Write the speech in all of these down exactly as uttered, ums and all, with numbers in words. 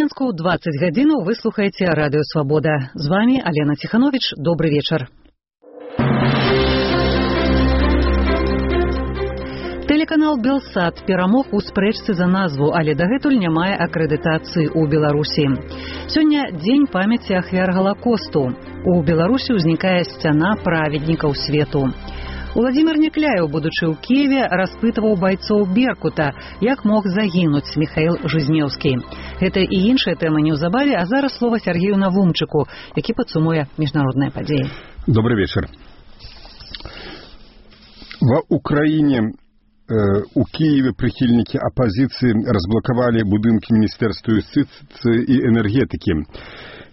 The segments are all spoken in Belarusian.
Мінску двадцать гадзінаў вы слухаеце Радыё Свабода. З вами Алена Тиханович. Добрый вечар. Тэлеканал Белсат перамог у спрэчцы за назву, але дагэтуль не мае акрэдытацыі ў Беларусі. Сёння дзень памяці ахвяр Галакосту. У Беларусі ўзнікае сцяна праведнікаў свету. Уладзімир Някляеў, будучы ў Киеве, распытываў байцоў Беркута, як мог загінуць Михаил Жизнеўскі. Гэта і іншыя тэмы неўзабаве, а зараз слова Сергею Навумчыку, які падсумуе міжнародныя падзеі. Добрый вечер. В Украине, э, у Киеве прихильники оппозиции разблокировали будинки Министерства юстиции и энергетики.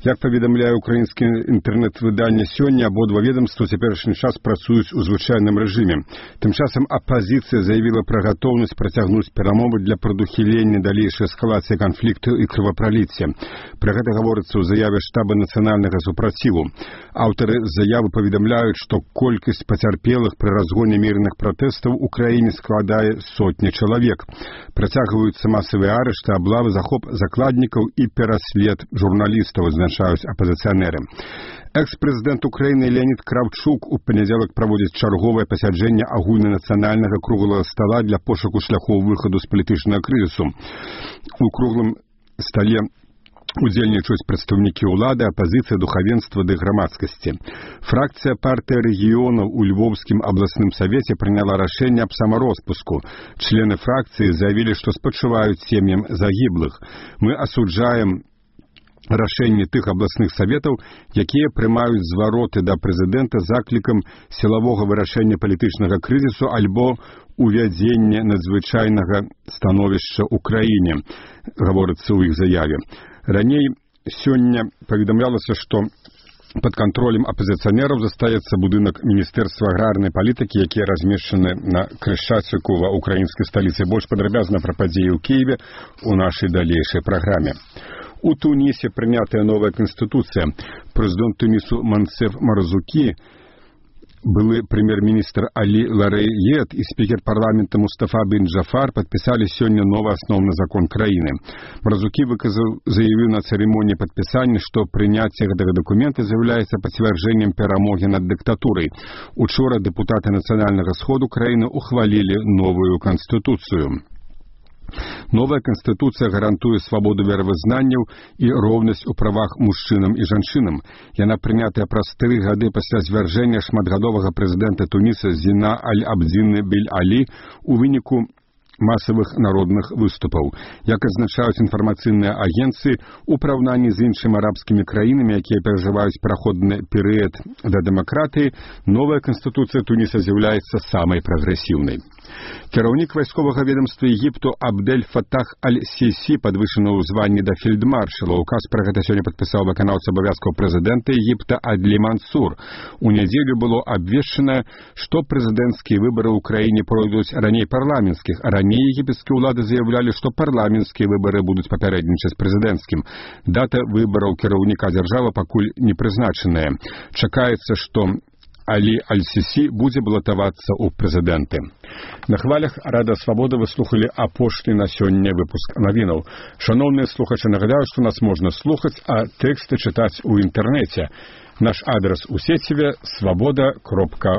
Як паведамляе украінскае інтэрнэт-выданне, сёння абодва ведомства цяперашні час працуюць у звычайным рэжыме. Тым часам апазіцыя заявіла пра гатоўнасць працягнуць перамовы для прадухілення далейшай эскалацыі канфлікту і крывапраліцця. Пра гэта гаворыцца ў заяве штаба нацыянальнага супраціву. Аўтары заявы паведамляюць, што колькасць пацярпелых пры разгоне мірных пратэстаў у краіне складае сотні чалавек. Працягваюцца масавыя арышты, аблавы, захоп закладнікаў і пераслед журналістаў, азначаюць апазіцыянеры. Экс-прэзідэнт Украіны Леонід Кравчук у панядзелак праводзіць чарговае пасяджэнне агульнанацыянальнага круглага стала для пошуку шляхоў выхаду з палітычнага крызісу. У круглым стале удзельнічаюць прадстаўнікі ўлады, апазіцыя, духавенства ды грамадскасці. Фракцыя партыі рэгіёнаў у Львовскім абласным савеце прыняла рашэнне аб самароспуску. Члены фракцыі заявілі, што спачуваюць сем'ям загіблых. Мы асуджаем рашэнні тых абласных саветаў, якія прымаюць звароты да прэзідэнта заклікам сілавога вырашэння палітычнага крызісу альбо увядзення надзвычайнага становішча ў краіне, гаворыцца ў іх заяве. Раней сёння паведамлялася, што пад кантролем апазіцыянераў застаецца будынак Міністэрства аграрнай палітыкі, які размешчаны на Крышчацыку ва ўкраінскай сталіцы. Больш падрабязна пра падзеі ў Киеве у нашай далейшай праграме. У Тунісе прынятая новая канстытуцыя. Прэзідэнт Тунісу Мансеф Марзукі, былы прэм'ер-міністр Алі Ларэйет і спікер парламента Мустафа бен Джафар падпісалі сёння новы асноўны закон краіны. Марзукі выказаў, заявіў на цырымоніі падпісання, што прыняцце гэтага дакумента з'яўляецца пацвярджэннем перамогі над дыктатурай. Учора дэпутаты нацыянальнага сходу краіны ухвалілі новую канстытуцыю. Новая канстытуцыя гарантуе свабоду веравызнанняў і роўнасць у правах мужчынам і жанчынам. Яна прынятая праз тры гады пасля звяржэння шматгадовага прэзідэнта Туніса Зіна Аль-Абдзіны Бель-Алі ў выніку масавых народных выступаў. Як азначаюць інфармацыйныя агенцыі, у параўнанні з іншымі арабскімі краінамі, якія перажываюць пераходны перыяд да дэмакратыі, новая канстытуцыя Туніса з'яўляецца самай прагрэсіўнай. Кіраўнік вайсковага ведамства Егіпту Абдель Фатах Аль-Сісі падвышаны ў званні да фельдмаршала. Указ пра гэта сёння падпісаў выканаўца абавязкаў прэзідэнта Егіпта Адлі Мансур. У нядзелю было абвешчана, што прэзідэнцкія выбары ў краіне пройдуць раней парламенцкіх, а раней егіпецкія ўлады заявлялі, што парламенцкія выбары будуць папярэднічаць прэзідэнцкім. Дата выбараў кіраўніка дзяржавы пакуль не прызначаная. Чакаецца, што Алі Аль-Сісі будзе балатавацца ў прэзідэнты. На хвалях Рада Свабода вы слухалі апошні на сёння выпуск навінаў. Шаноўныя слухачы, нагадаю, што нас можна слухаць, а тэксты чытаць у інтэрнэце. Наш адрес у сеціве свабода кропка